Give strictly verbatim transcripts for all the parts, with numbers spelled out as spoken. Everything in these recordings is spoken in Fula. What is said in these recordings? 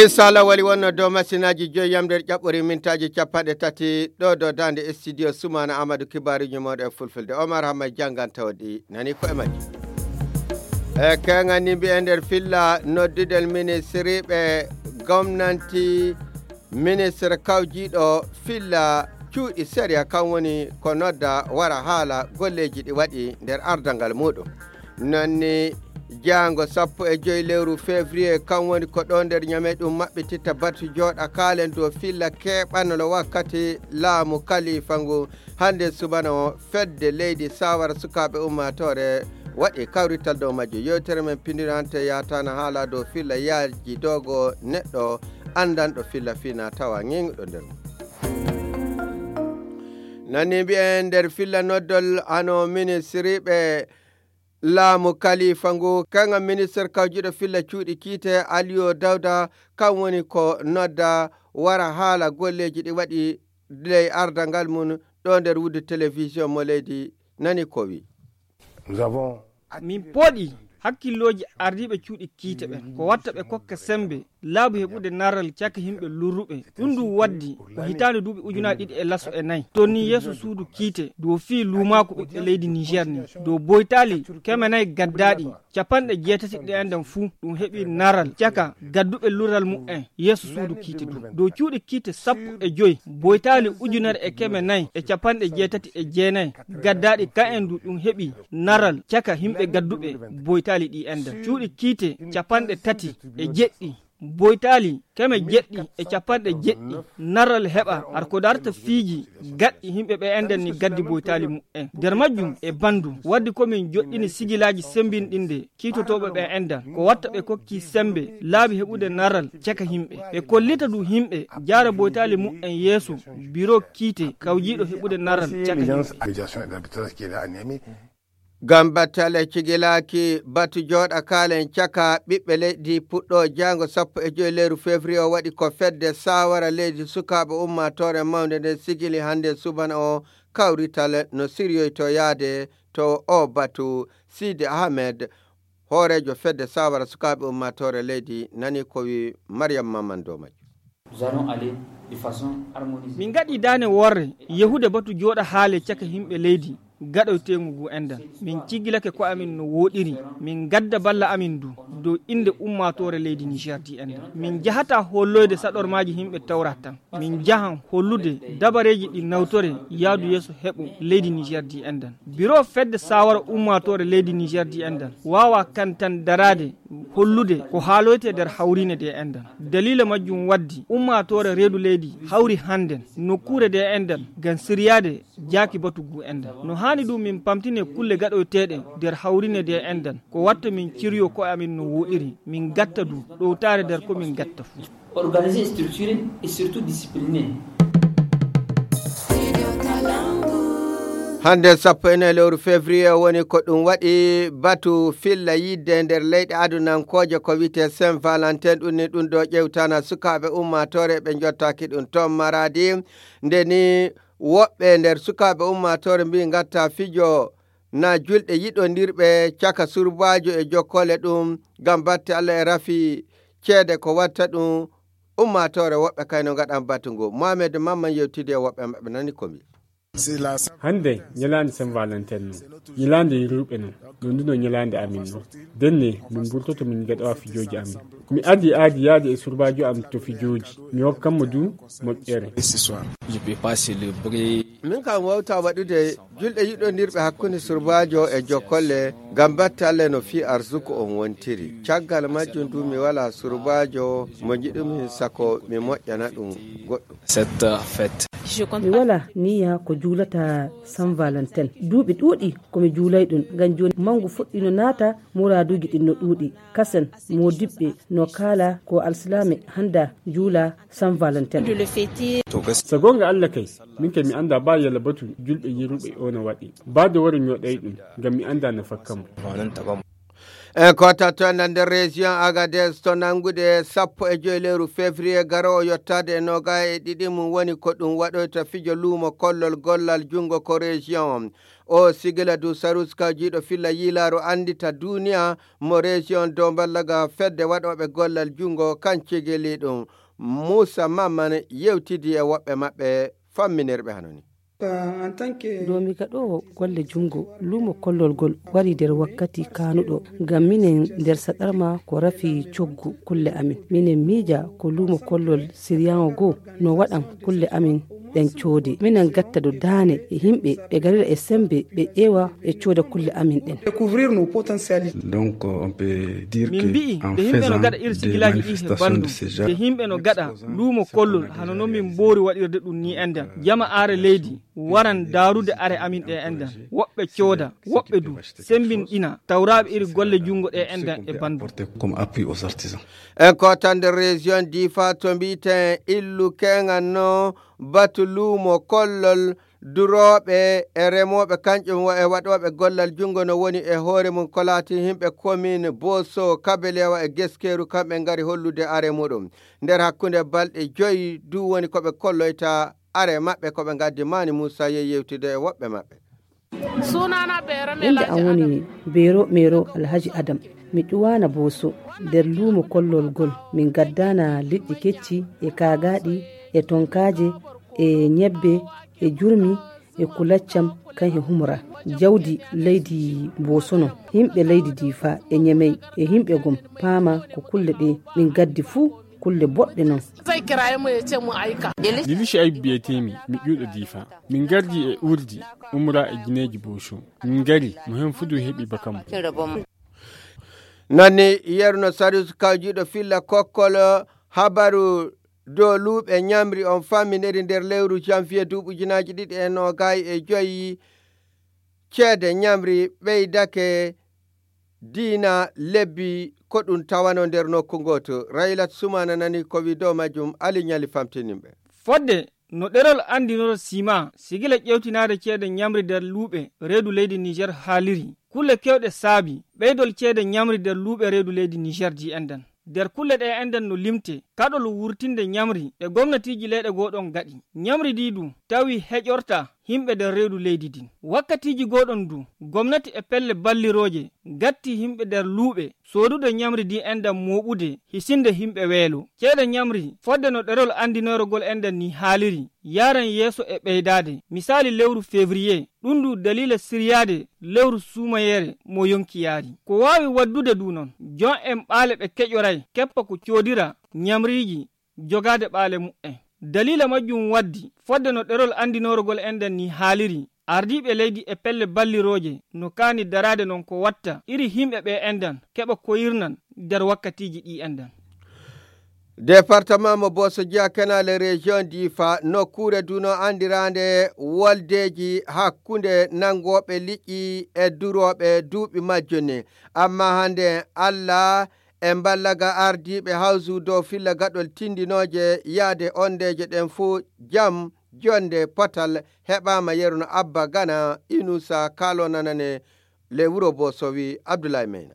Inshallah, wali wonno dow masinaaji joyi yam nder ƴaɓɓori mintaaji capanɗe tati ɗo dow daande studio Sumaana Amadou, kibaaruuji mooɗon e fulfulde. Omar Hamma janngan tawa ɗi nani ko e majji. E keŋan ni mbi'en nder filla noddudel ministriiɓe gomnanti, ministre kawjiiɗo filla cuuɗi sariya, kam woni ko nodda wara haala golleeji ɗi waɗi nder ardangal muuɗum. Nanni jaango sappo e joyi lewru février, kam woni ko ɗo nder Ñame ɗum maɓɓititta batu jooɗa kaalen dow filla keɓanolo wakkati laamu kalifa ngu. Hannde subana o fedde leydi sawara sukaaɓe ummaatoore waɗi kawrital dow majjo. Yewtere men pindinante yatana haala dow filla yaaji dogo neɗɗo anndanɗo filla fina tawa ŋeŋuɗo nder mum. Nanni mbi'en nder filla noddol ano ministriiɓe laamu kalifa ngu, kaŋŋa ministre kawjiiɗo filla cuuɗi kiite Aliyu Dawda, kam woni ko nodda wara haala golleeji ɗi waɗi ley ardangal mum ɗo nder wuddu télévision mo leydi nani ko wi. Min pooɗi hakkillooji ardiiɓe cuuɗi kiite ɓen, ko watta ɓe kokka semmbe laabi heɓude naral caka yimɓe lurruɓe. Ɗum ɗum waddi ko hitaande duuɓi ujunaaji ɗiɗi e laso e nayi, tonni yeeso suudu kiite dow fii luumaaku ɓiɓɓe leydi Niger ni, dow boytaali keme nayi gaddaaɗi, capanɗe jeetati ɗi enɗan fuu ɗum heɓi naral caka gadduɓe lural mu'en yeeso suudu kiite du. Dow cuuɗi kiite sappo e joyi, boytaali ujunere e keme nayi e capanɗe jeetati e jeenayi gaddaaɗi, ka'en du ɗum heɓi naral caka yimɓe gadduɓe boytaali ɗi enɗan. Cuuɗi kiite capanɗe tati e jeɗɗi, boytaali keme jeɗɗi e capanɗe jeɗɗi naral heɓa har ko darta fiiji gaɗɗi yimɓe ɓe enɗan ni gaddi boytaali mu'en. Nder majjum e banndum waddi ko min joɗɗini sigilaaji semmbinɗinde kiitotooɓe ɓe enɗan, ko watta ɓe kokki semmbe laabi heɓude naral caka yimɓe. Ɓe kollita du yimɓe jaara boytaali mu'en yeeso biro kiite kawjiiɗo heɓude naral caka yimɓe. Ngam battale cigilaaki batu jooɗa kaalen caka ɓiɓɓe leydi puɗɗo jaango sappo e joyi lewru février o waɗi ko fedde sawara leydi sukaaɓe ummaatoore mawnde nden sigili hannde subana o kawrital no siryoyto yaade to o batu. Sidi Ahmed, hooreejo fedde sawara sukaaɓe ummaatoore leydi, nani ko wi Mariam Maman dow majjum. Min ngaɗi daane worre yahude batu jooɗa haale caka yimɓe leydi gaɗoyteengu ngu enɗan. Min ciggilake ko amin no wooɗiri, min ngadda balla amin du dow innde ummaatoore leydi Niger di enɗan. Min njahata holloyde saɗormaaji yimɓe tawrat tan. Min njahan hollude dabareeji ɗi nawtore yaadu yeeso heɓo leydi Niger di enɗan. Biro fedde sawara ummaatoore leydi Niger di enɗan waawa kan tan daraade hollude ko haaloyte nder hawriine de enɗan. Daliila majjum waddi ummaatoore reedu leydi hawri hannden nokkuure de enɗan ngam siryaade jaaki batu ngu enɗan. No haani ɗum min pamtine kulle gaɗoyteeɗe nder hawriine de enɗan, ko watta min ciryo ko'e amin no wooɗiri, min ngatta du ɗowtaare nder ko min ngatta fuu. Organisé, structuré et surtout discipliné. Hannde sappo e nayi lewru février woni ko ɗum waɗi batu filla yidde nder leyɗe adunankooje ko wiyetee Saint Valentin. Ɗum ni ɗum ɗo ƴewtana sukaaɓe ummaatoore ɓe njottaaki ɗum toon Maradi. Nde ni woɓɓe nder sukaaɓe ummaatoore mbii ngatta fijo na julɗe yiɗondirɓe caka surbaajo e jokkole ɗum ngam batte Allah e rafi ceede ko watta ɗum. Ummaatoore woɓɓe kayno ngaɗan batu ngu. Mohamed Mamman yewtidi e woɓɓe maɓɓe nani ko mbii. Hannde ñalaande Saint Valentin non, ñalaande yirruɓe non, no nduno ñalaande amin non. Denne min mburtoto min ngaɗowa fijooji amin. Mi adi aadi yaade e surbaajo am to fijooji, mi hokkanmo du moƴƴere. Min kam wawta waɗude julɗe yiɗondirɓe hakkunde surbaajo e jokkolle ngam batte Allah no fii arsuku on wontiri. Caggal majjum du mi wala surbaajo mo njiɗumi sako mi moƴƴana ɗum goɗɗum. Cette fête. Mi wala niya ko juulata Saint Valentin. Duuɓi ɗuuɗi ko mi juulay ɗum ngam jooni mangu fuɗɗino naata, muraaduuji ɗin no ɗuuɗi. Kasen moodiɓɓe no kaala ko alsilaame hannda juula Saint Valentin. So goonga Allah kay, min kay mi annda ba yalla batu julɓe yiruɓe o no waɗi. Ba de wara mi waɗay ɗum ngam mi annda no fakkamo. En kota to enen nder région Agadez, to nanngude sappo e joy lewru février garoowo yottaade e noga e ɗiɗi mum woni ko ɗum waɗoyta fijo luumo kollol gollal junngo ko région on. O sigila du Sarus Kawjiiɗo filla yiilaaru anndita duniya mo région dow mballaga fedde waɗooɓe gollal junngo kan cigili ɗum. Muusa Mamman yewtidi e woɓɓe maɓɓe famminirɓe hano ni. Dow mi gaɗoowo golle junngo, luumo kollol ngol warii nder wakkati kaanuɗo, ngam minen nder saɗarma ko rafi coggu kulle amin. Minen miija ko luumo kollol siryaŋo goo no waɗan kulle amin ɗen coode. Minen gatta do daane e yimɓe, ɓe garira e semmbe, ɓe ƴeewa e cooda kulle amin ɗen. Donc, on peut dire min que mbi'i en nde yimɓe no faisant gaɗa des irsigilaaji ɗi he manifestations banndum, de ce genre, nde yimɓe no gaɗa luumo kollol hano non min mboori waɗirde ɗum ni enɗan, jama are leydi waran daarude are amin ɗe enɗan. Woɓɓe cooda, woɓɓe du semmbinɗina tawraaɓe iri golle junngo ɗe enɗan e banndum. Comme appui aux artisans. En kotande région Difa to mbiiten illu keŋan no batu luumo kollol durooɓe e remooɓe, kanƴum wa-, e waɗooɓe gollal junngo no woni e hoore mum ko laati yimɓe commune Boso, Kabelewa e Geskeeru, kamɓe ngari hollude are muɗum. Nder hakkunde balɗe joyi du woni ko ɓe kolloyta are maɓɓe ko ɓe ngaddi. Mani Muusa yehi yewtude e woɓɓe maɓɓe. Innde am woni Beero Meero Alhaji Adam. Mi ƴuwaana Booso. Nder luumo kollol ngol, min ngaddaana liƴƴi kecci e kaagaaɗi e tonkaaje e ñebbe e jurmi e kulaccam kan e humra. Jawdi leydi Booso non. Yimɓe leydi Diifa e Ñemey e yimɓe gom paama ko kulle ɗe min ngaddi fuu kulle boɗɗe non. Lili Shu'aibu biyetee-mi, mi ƴuwɗo Diifa. Min ngardi e urdi, umra e gineeji Booso. Min ngari, mo heen fuu du heɓi bakam. Nani yerno Sarius Kawjiiɗo filla kokkol habaru dow luuɓe ñamri on famminiri nder lewru janvier duuɓi ujunaaji ɗiɗi e noogay e joyi. Ceede ñamri ɓeydake diina lebbi ko ɗum tawano nder nokku ngootu. Raylat Sumana nani ko wi dow majjum, Ali Ñali famtininɓe. Fodde no ɗerol anndinoro sima, sigila ƴewtinaade ceede ñamri nder luuɓe reedu leydi Niger haaliri. Kulle kewɗe saabi ɓeydol ceede ñamri nder luuɓe reedu leydi Niger di enɗan. Nder kulle ɗe enɗan no limte kaɗol wurtinde ñamri ɗe gomnatiiji leyɗe goo ɗon gaɗi. Ñamri di du tawi heƴorta yimɓe nder reedu leydi din. Wakkatiiji goo ɗon du, gomnati e pelle ballirooje gatti yimɓe nder luuɓe soodude ñamri di enɗan mooɓude hisinde yimɓe weelo. Ceede ñamri fodde no ɗerol anndinoorogol enɗan ni haaliri, yaran yeeso e ɓeydaade. Misaali lewru février, ɗum du daliila siryaade lewru suumayeere mo yonki yaari. Ko waawi waddude du non, jon en ɓaale ɓe keƴoray keppa ko coodira ñamriiji jogaade ɓaale mu'en. Daliila majjum waddi, fodde no ɗerol anndinoorogol enɗan ni haaliri, ardiiɓe leydi e pelle ballirooje no kaani daraade non ko watta iri yimɓe ɓe enɗan keɓa koyirnan nder wakkatiiji ɗi enɗan. Departement mo Boso Jiya Kenale Region Difa, nokkuure duno anndiraande woldeeji hakkunde nanngooɓe liƴƴi e durooɓe duuɓi majjuni. Amma hannde Allah e mballaga ardiiɓe hawsu dow filla gaɗol tindinooje yaade ondeeje ɗen fuu jam, jonde, potal heɓaama. Yerno Abba Gana Inusa Kalo nanane le wuro Boso wi Abdoulaye Meyna.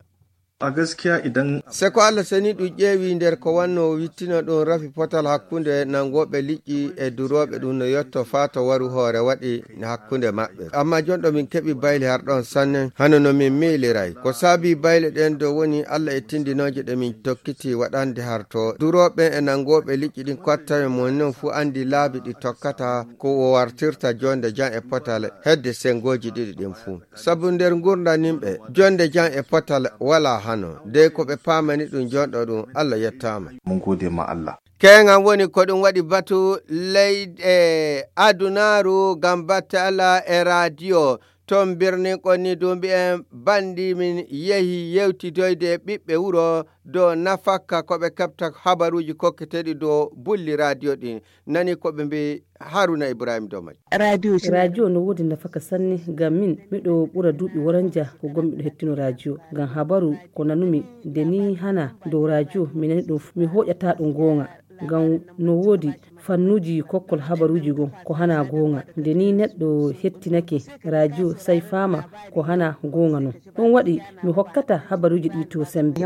A gaskiya idan se ko Allah seni ɗum ƴeewi nder ko wanno wittino ɗum rafi potal hakkunde nanngooɓe liƴƴi e durooɓe ɗum no yotto faa to waru hoore waɗi hakkunde maɓɓe. Amma jonɗo min keɓi bayle har ɗon sanne, hano no min miiliray. Ko saabi bayle ɗen ɗo woni Allah e tindinooje ɗe min tokkiti waɗande har to durooɓe e nanngooɓe liƴƴi ɗin kottawe mon non fuu anndi laabi ɗi tokkata ko o wartirta jonde jam e potal hedde senngooji ɗiɗi ɗin fuu. Sabu nder ngurndan yimɓe, jonde jam e potal walaa hano. Dey ko ɓe paamani ɗum jonɗo ɗum, Allah yettaama. Mun gode ma Allah. Keeŋan woni ko ɗum waɗi batu leyɗe adunaaru ngam batte Allah e raadiyo. Toon birnin kon ni du mbi'en banndi min yehi yewtidoyde e ɓiɓɓe wuro dow nafakka ko ɓe keɓta habaruuji kokketeeɗi dow bulli raadiyo ɗin. Nani ko ɓe mbi'i Haruna Ibrahim dow majji. Raadiyo no woodi nafaka sanne, ngam min miɗo ɓura duuɓi woranja ko gom miɗo hettino raadiyo. Ngam habaru ko nanumi nde ni hana dow raadiyo, mi nani ɗum, mi hoƴata ɗum goonga. Ngam no woodi Fannuuji kokkol habaruuji goo ko hana goonga. Nde nii neɗɗo hettinake rajo, sey faama ko hana goonga non. Ɗum waɗi mi hokkata habaruuji ɗi to semmbe.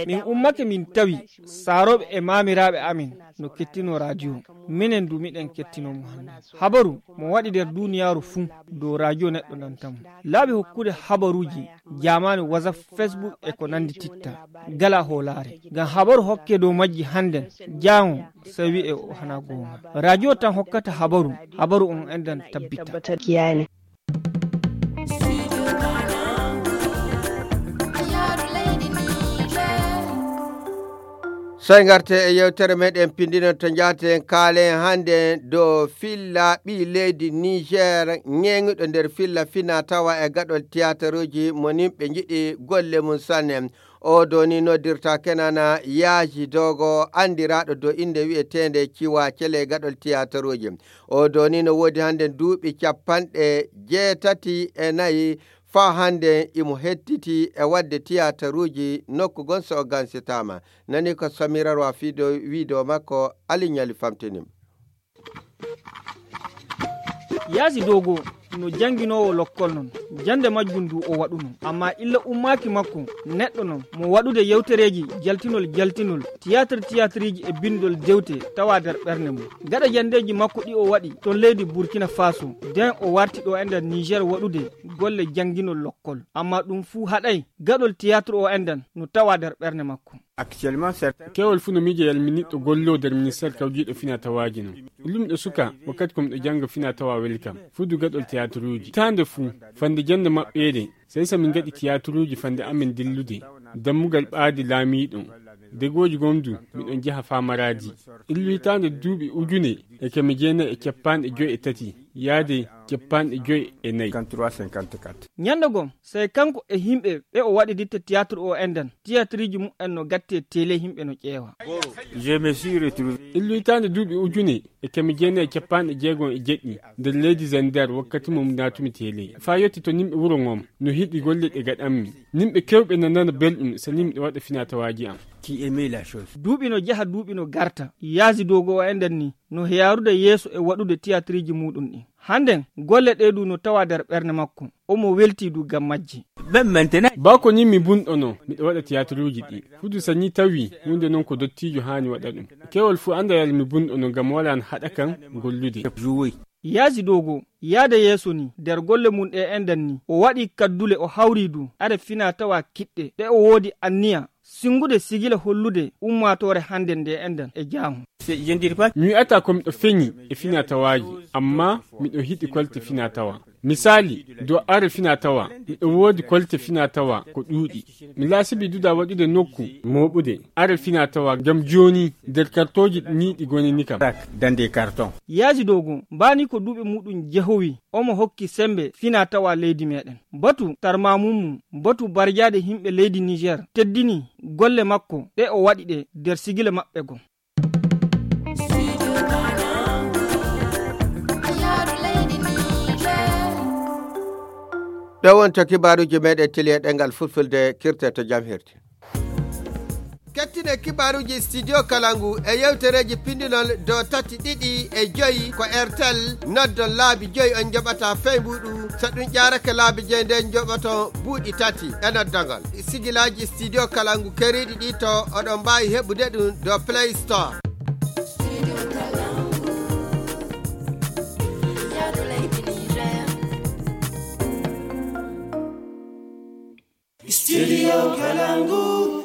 Min ummake min tawi saarooɓe e maamiraaɓe amin no kettinoo rajo. Minen du miɗen kettinoo mo hannde. Habaru mo waɗi nder duuniyaaru fuu dow rajo neɗɗo nanta mo. Laabi hokkude habaruuji jaamaanu, WhatsApp, Facebook e ko nanndi titta. Gala hoolaare. Ngam habaru hokke dow majji hannden, jaango sey wi'e o hana goonga. Rajo tan hokkata habaru, habaru on enɗan tabbita. Sey ngarte e yewtere meɗen pinndinol to njaaten kaalen hannde dow filla ɓii leydi Niger ñeeŋuɗo nder filla fina tawa e gaɗol tiyataruuji mo nimɓe njiɗi golle mum sanne. O doni noddirta Kenana Yaaji Dogo, anndiraaɗo dow innde wi'eteende Ciwa Cele gaɗol tiyataruuji. O doni no woodi hannde duuɓi capanɗe jeetati e nayi, faa hannde imo hettiti e waɗde tiyataruuji nokku gon so o gansitaama. Nani ko Samira Roi Fido wiido makko, Ali Ñali famtini. Yaasi Dogo no jannginoowo lokkol non, jannde majjum ndu o waɗuno. Ammaa illa ummaaki makko neɗɗo non mo waɗude yewtereeji jaltinol jaltinol, tiyaatir tiyaatiriiji e binndol dewte tawa nder ɓernde mum. Gaɗa janndeeji makko ɗi o waɗi ton leydi Burkina Faso, nden o warti ɗo e nder Niger waɗude golle jannginol lokkol. Ammaa ɗum fuu haɗay gaɗol tiyaatir o enɗan no tawa nder ɓernde makko. Actuellement, certains Kewol fuu no miija yalminiɗɗo golloo nder ministeer kawjiiɗo finaa tawaaji non. Illumiɗo suka wakkati ko miɗo jannga finaa tawaa weli kam. Fudu gaɗol tiyaaturuuji. Hitaande fuu, fande jannde maɓɓeede, sey so min ngaɗi tiyaaturuuji fande amen dillude. Dammugal ɓaadi laamiiɗo. Degooji gom du, miɗon jaha faa maraadi. Illu hitaande duuɓi ujune e keme jeenayi e cappanɗe joy e tati, yaade cappanɗe joy e nayi. Cinquante-trois, cinquante-quatre. Ñannde gom, sey kanko e yimɓe ɓe o waɗi ditte tiyaatir o enɗan, tiyaatiriiji mumen no gattee tele yimɓe no ƴeewa. Je me suis retrouvé. Illu hitaande duuɓi ujune e keme jeenayi e cappanɗe jeegom e jeɗɗi nder leydi Zander wakkati mo naatumi tele. Faa yotti to nimɓe wuro ngon no hiɗi golle ɗe gaɗanmi. Nimɓe kewɓe no nana belɗum so nimɓe waɗa finaa tawaaji am. Qui aimait la chose. Duuɓi no jaha, duuɓi no garta. Yaasi Dogo o enɗan ni no yaarude yeeso e waɗude tiyaatiriiji muɗum ɗin. Hannden, golle ɗee du no tawa nder ɓernde makko. Omo weltii du ngam majji. Même maintenant. Baa ko nii mi bunɗono, miɗo waɗa tiyaatiruuji ɗi. Fudu so nii tawi huunde non ko dottiijo haani waɗa ɗum. Kewol fuu annda yalla mi bunɗono ngam walaa no haɗa kan gollude. Jouer. Yaasi Dogo, yaade yeeso nii, nder golle mum ɗe enɗan nii, o waɗii kaddule, o hawrii du, are finaa tawaa kiɗɗe, ɗe o woodi anniya sinngude sigila hollude ummaatoore hannde nde enɗan e jaango. C'est, je ne dirais pas. Mi wi'ataa ko miɗo feñi e finaa tawaaji, ammaa miɗo hiɗi kolte finaa tawa. Misaali, dow are finaa tawa, miɗo woodi kolte finaa tawa ko ɗuuɗi. Mi laasibii duda waɗude nokku mooɓude are finaa tawa ngam jooni nder kartooji nii ɗi gonini kam. Dans des cartons. Yaasi Dogo, mbaani ko duuɓi muɗum jehowi, omo hokki semmbe finaa tawa leydi meɗen. Batu tarmamum mum, batu barjaade yimɓe leydi Niger, teddini golle makko ɗe o waɗi ɗe nder sigila maɓɓe gom. Ɗo wonto kibaaruuji meɗen tili e ɗemngal fulfulde, kirte to jam hirti. Kettine kibaaruuji Studio Kalangu e yewtereeji pindinol dow tati, ɗiɗi e joyi ko Airtel. Noddon laabi joyi on njoɓata feymbuɗu. So ɗum ƴaarake laabi joyi, nden njoɓoton buuɗi tati e noddagol. Sigilaaji Studio Kalangu keriiɗi ɗi to oɗon mbaawi heɓude ɗum dow Play Store. Studio Kalangu.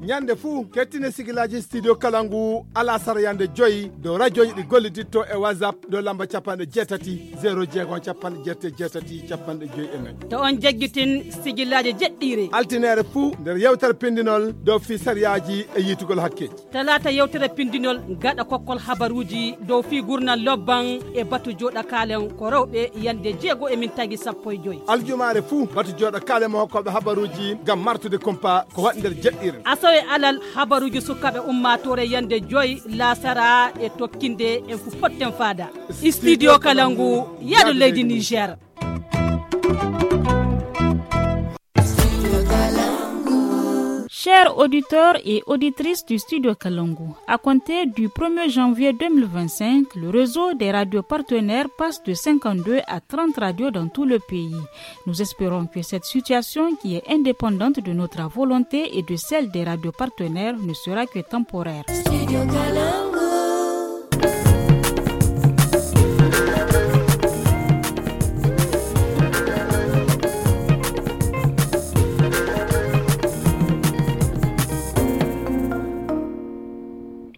Ñande fuu, kettine sigilaaji Studio Kalangu alasara yande joyi dow rajooji ɗi golliditto e WhatsApp dow lamba capanɗe jeetati, zéro jeegom, capanɗe jeetati, capanɗe joyi e nayi. To on jaggitin sigilaaji jeɗɗiire. Altineere fuu nder yewtere pindinol dow fii sariyaaji e yiitugol hakkeeji. Talaata yewtere pindinol gaɗa kokkol habaruuji dow fii gurnal lobban e batu jooɗa kaalen ko rewɓe yande jeego e min tagi sappo e joyi. Aljumaare fuu batu jooɗa kaalen mo hokkooɓe habaruuji ngam martude kumpa ko waɗi nder jeɗɗiire. Asawe alal habaruuji sukaaɓe ummaatoore yande joyi laasara e tokkinde en fu potten faada. Studio Kalangu, yaadu leydi Niger. Chers auditeurs et auditrices du Studio Kalangu, à compter du premier janvier deux mille vingt-cinq, le réseau des radios partenaires passe de cinquante-deux à trente radios dans tout le pays. Nous espérons que cette situation, qui est indépendante de notre volonté et de celle des radios partenaires, ne sera que temporaire.